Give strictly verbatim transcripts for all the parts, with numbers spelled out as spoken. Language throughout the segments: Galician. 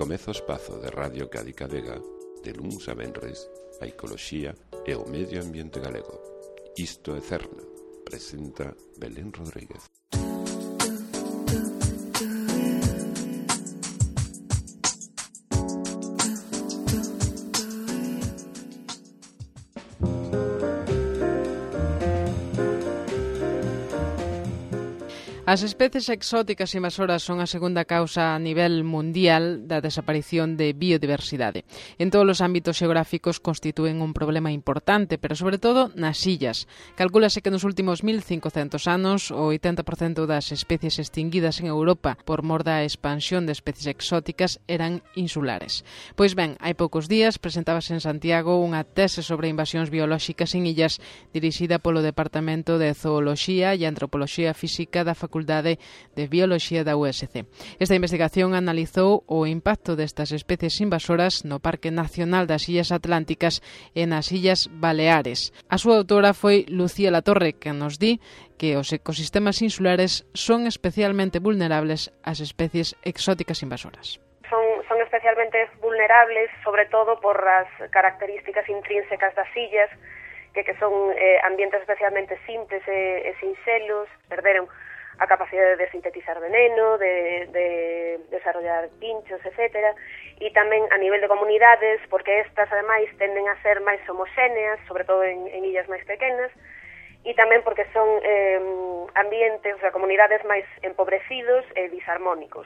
Comeza o espazo de Radio Cádiz Vega, de luns a venres, a ecoloxía e o medio ambiente galego. Isto é Cerna, presenta Belén Rodríguez. As especies exóticas invasoras son a segunda causa a nivel mundial da desaparición de biodiversidade. En todos os ámbitos xeográficos constitúen un problema importante, pero sobre todo nas illas. Calcúlase que nos últimos mil cincocentos anos o oitenta por cento das especies extinguidas en Europa por mor da expansión de especies exóticas eran insulares. Pois ben, hai poucos días presentábase en Santiago unha tese sobre invasións biolóxicas en illas dirixida polo Departamento de Zooloxía e Antropoloxía Física da Facultade de Bioloxía da U S C. Esta investigación analizou o impacto destas especies invasoras no Parque Nacional das Illas Atlánticas e nas Illas Baleares. A súa autora foi Lucía Latorre, que nos di que os ecosistemas insulares son especialmente vulnerables ás especies exóticas invasoras. Son, son especialmente vulnerables, sobre todo por as características intrínsecas das illas, que, que son eh, ambientes especialmente simples e, e sinxelos, perderon a capacidade de sintetizar veneno, de, de desarrollar pinchos, etcétera, e tamén a nivel de comunidades, porque estas, ademais, tenden a ser máis homoxéneas, sobre todo en, en illas máis pequenas, e tamén porque son eh, ambientes, o sea, comunidades máis empobrecidos e disarmónicos.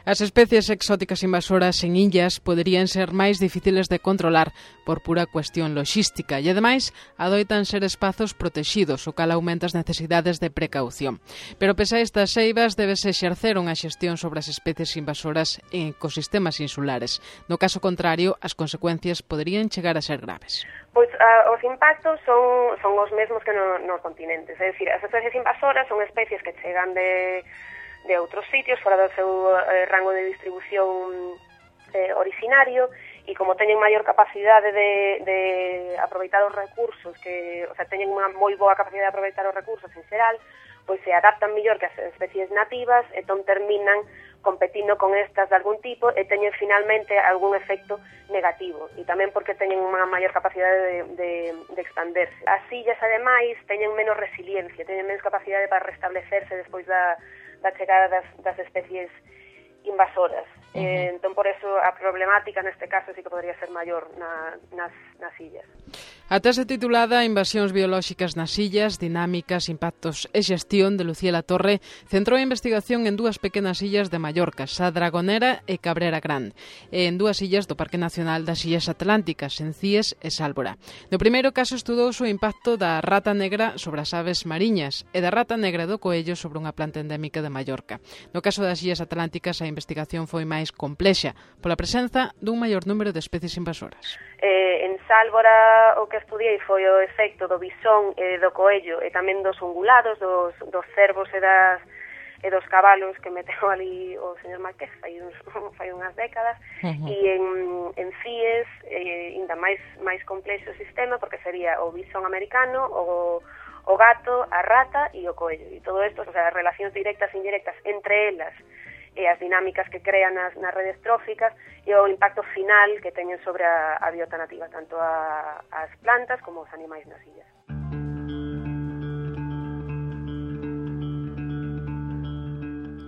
As especies exóticas invasoras en illas poderían ser máis difíciles de controlar por pura cuestión loxística e, ademais, adoitan ser espazos protexidos, o cal aumenta as necesidades de precaución. Pero, pese a estas eivas, debese exercer unha xestión sobre as especies invasoras en ecosistemas insulares. No caso contrario, as consecuencias poderían chegar a ser graves. Pois a, os impactos son, son os mesmos que no, nos continentes, é dicir, as especies invasoras son especies que chegan de, de outros sitios fora do seu eh, rango de distribución eh, originario, e como teñen maior capacidade de, de aproveitar os recursos, que, o sea, teñen unha moi boa capacidade de aproveitar os recursos en xeral, pois se adaptan mellor que as especies nativas, entón terminan competindo con estas de algún tipo e teñen finalmente algún efecto negativo, e tamén porque teñen unha maior capacidade de, de, de expanderse. As illas, ademais, teñen menos resiliencia, teñen menos capacidade para restablecerse despois da, da chegada das, das especies invasoras. Uh-huh. Eh, entón, por eso, a problemática neste caso sí que podría ser maior na, nas, nas illas. A tese titulada Invasións biolóxicas nas illas, dinámicas, impactos e xestión de Lucía Latorre centrou a investigación en dúas pequenas illas de Mallorca, Sa Dragonera e Cabrera Grande, e en dúas illas do Parque Nacional das Illas Atlánticas, en Cíes e Sálvora. No primeiro caso estudouse o impacto da rata negra sobre as aves mariñas e da rata negra do coello sobre unha planta endémica de Mallorca. No caso das Illas Atlánticas, a investigación foi máis complexa pola presenza dun maior número de especies invasoras. Eh, en Sálvora o que estudiei foi o efecto do bisón e do coello e tamén dos ungulados, dos, dos cervos e das e dos cabalos que meteu ali o señor Marqués fai, uns, fai unhas décadas. Uh-huh. E en, en Cíes eh, ainda máis máis complexo o sistema, porque sería o bisón americano, o, o gato, a rata e o coello, e todo isto, o sea, as relacións directas e indirectas entre elas e as dinámicas que crean nas, nas redes tróficas e o impacto final que teñen sobre a, a biota nativa, tanto a, as plantas como os animais nas illas.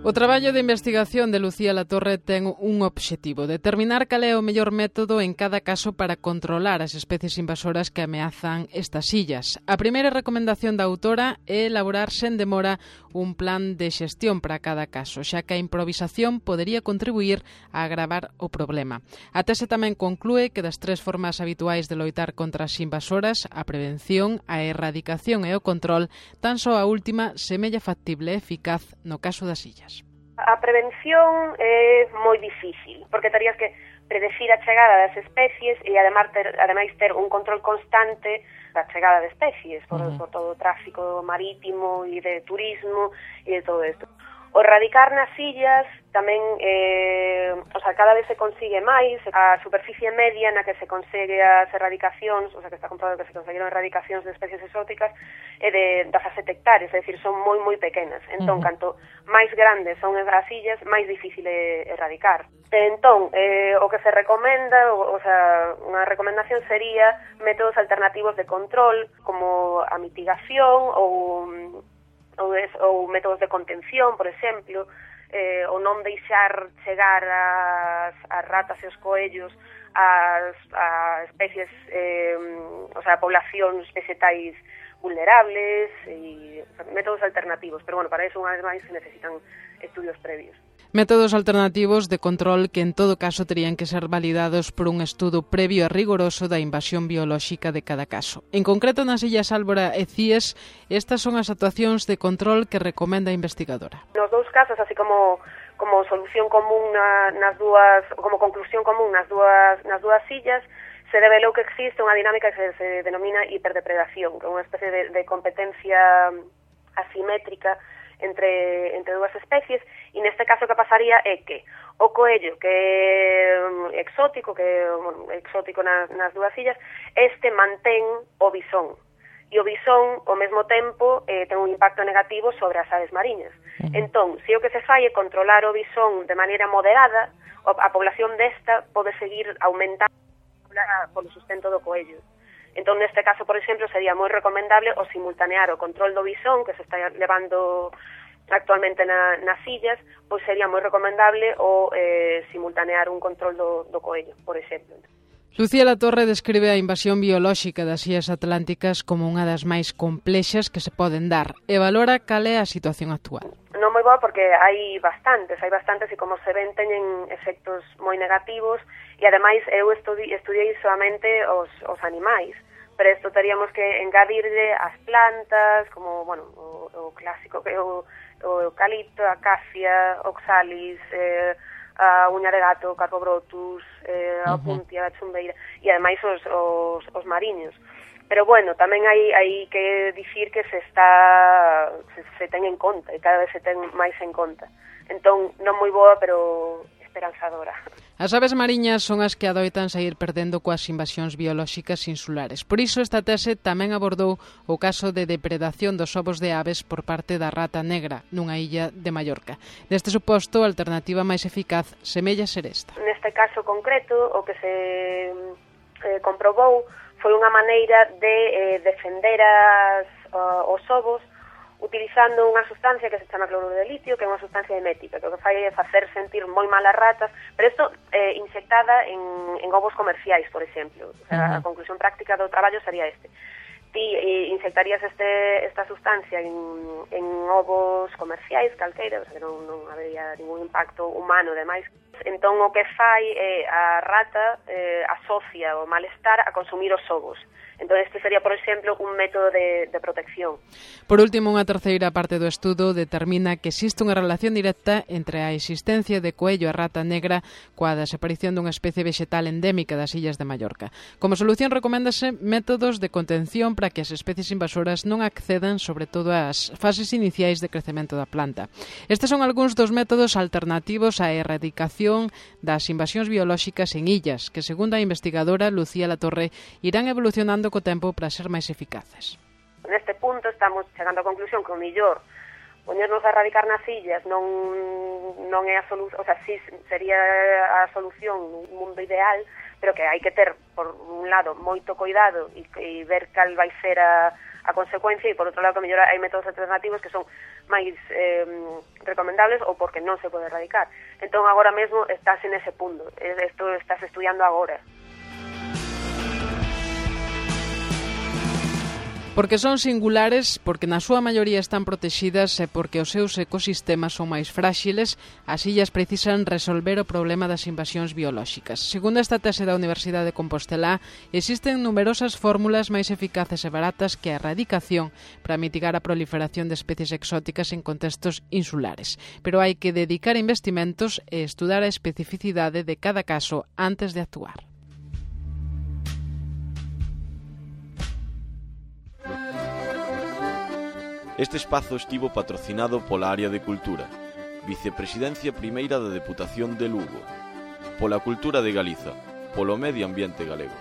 O traballo de investigación de Lucía Latorre ten un obxectivo: determinar cal é o mellor método en cada caso para controlar as especies invasoras que ameazan estas illas. A primeira recomendación da autora é elaborar sen demora un plan de xestión para cada caso, xa que a improvisación podería contribuir a agravar o problema. A tese tamén conclúe que das tres formas habituais de loitar contra as invasoras, a prevención, a erradicación e o control, tan só a última semella factible e eficaz no caso das illas. A prevención é moi difícil, porque terías que predecir a chegada das especies e ademais ter, ademais ter un control constante da chegada de especies por, uh-huh. por todo o tráfico marítimo e de turismo e de todo isto. O erradicar nas illas tamén, eh, o sea, cada vez se consigue máis, a superficie media na que se consegue as erradicacións, o sea, que está comprobado que se conseguiron erradicacións de especies exóticas, é de dezasete hectáreas, é dicir, son moi, moi pequenas. Entón, uh-huh. canto máis grandes son as illas, máis difícil é erradicar. Entón, eh, o que se recomenda, o, o sea, unha recomendación sería métodos alternativos de control, como a mitigación ou... Ou, es, ou métodos de contención, por exemplo, eh, ou non deixar chegar as, as ratas e os coellos as, a especies, eh, o sea, a poblacións vegetais vulnerables, e métodos alternativos, pero bueno, para eso, unha vez máis, se necesitan estudios previos. Métodos alternativos de control que en todo caso terían que ser validados por un estudo previo e rigoroso da invasión biolóxica de cada caso. En concreto, nas illas Álvora e Cíes, estas son as actuacións de control que recomenda a investigadora. Nos dous casos, así como como solución común na, nas dúas, como conclusión común nas dúas nas dúas illas, se revelou que existe unha dinámica que se, se denomina hiperdepredación, que é unha especie de, de competencia asimétrica entre entre dúas especies, e neste caso que pasaría é que o coello, que é exótico, que é bueno, exótico nas, nas dúas illas, este mantén o bisón, e o bisón, ao mesmo tempo, eh, ten un impacto negativo sobre as aves mariñas. Uh-huh. Entón, se o que se fai é controlar o bisón de maneira moderada, a población desta pode seguir aumentando polo sustento do coello. Entón, neste caso, por exemplo, sería moi recomendable o simultanear o control do bisón, que se está levando actualmente na, nas illas, pois sería moi recomendable o eh, simultanear un control do, do coello, por exemplo. Lucía Latorre describe a invasión biolóxica das illas atlánticas como unha das máis complexas que se poden dar e valora cal é a situación actual. Non moi boa porque hai bastantes, hai bastantes e como se ven teñen efectos moi negativos e ademais eu estudi, estudiei solamente os, os animais. Pero isto teríamos que engadirle as plantas, como, bueno, o, o clásico, que o, o eucalipto, a acacia, oxalis, eh, a uña de gato, carpobrotus, eh, a opuntia, a chumbeira, e ademais os, os, os mariños. Pero, bueno, tamén hai, hai que dicir que se está, se, se ten en conta, e cada vez se ten máis en conta. Entón, non moi boa, pero esperanzadora. As aves mariñas son as que adoitan sair perdendo coas invasións biolóxicas insulares. Por iso esta tese tamén abordou o caso de depredación dos ovos de aves por parte da rata negra nunha illa de Mallorca. Neste suposto, a alternativa máis eficaz semella ser esta. Neste caso concreto, o que se eh, comprobou foi unha maneira de eh, defender as, uh, os ovos utilizando unha sustancia que se chama cloruro de litio, que é unha sustancia emética, que o que fai é facer sentir moi mal as ratas, pero isto eh, inyectada en, en ovos comerciais, por exemplo. O sea, uh-huh. A conclusión práctica do traballo sería este. Ti eh, inyectarías este, esta sustancia en, en ovos comerciais, calqueira, o sea, que non, non habería ningún impacto humano, demais. Entón, o que fai é a rata eh, asocia o malestar a consumir os ovos. Entón, este sería, por exemplo, un método de, de protección. Por último, unha terceira parte do estudo determina que existe unha relación directa entre a existencia de coello e rata negra coa desaparición dunha especie vegetal endémica das illas de Mallorca. Como solución, recoméndase métodos de contención para que as especies invasoras non accedan sobre todo ás fases iniciais de crecemento da planta. Estes son algúns dos métodos alternativos á erradicación das invasións biolóxicas en illas, que, segundo a investigadora Lucía Latorre, irán evolucionando co tempo para ser máis eficaces. Neste punto estamos chegando á conclusión que o mellor poñernos a erradicar nas illas non non é a solución, o sea, sí sería a solución un mundo ideal, pero que hai que ter, por un lado, moito cuidado e, e ver cal vai ser a, a consecuencia, e por outro lado, que mellor hai métodos alternativos que son máis eh, recomendables ou porque non se pode erradicar. Entón, agora mesmo estás en ese punto, isto estás estudiando agora. Porque son singulares, porque na súa maioría están protexidas e porque os seus ecosistemas son máis fráxiles, as illas precisan resolver o problema das invasións biolóxicas. Segundo esta tese da Universidade de Compostela, existen numerosas fórmulas máis eficaces e baratas que a erradicación para mitigar a proliferación de especies exóticas en contextos insulares. Pero hai que dedicar investimentos e estudar a especificidade de cada caso antes de actuar. Este espazo estivo patrocinado pola Área de Cultura, Vicepresidencia primeira da Deputación de Lugo. Pola cultura de Galiza, polo medio ambiente galego.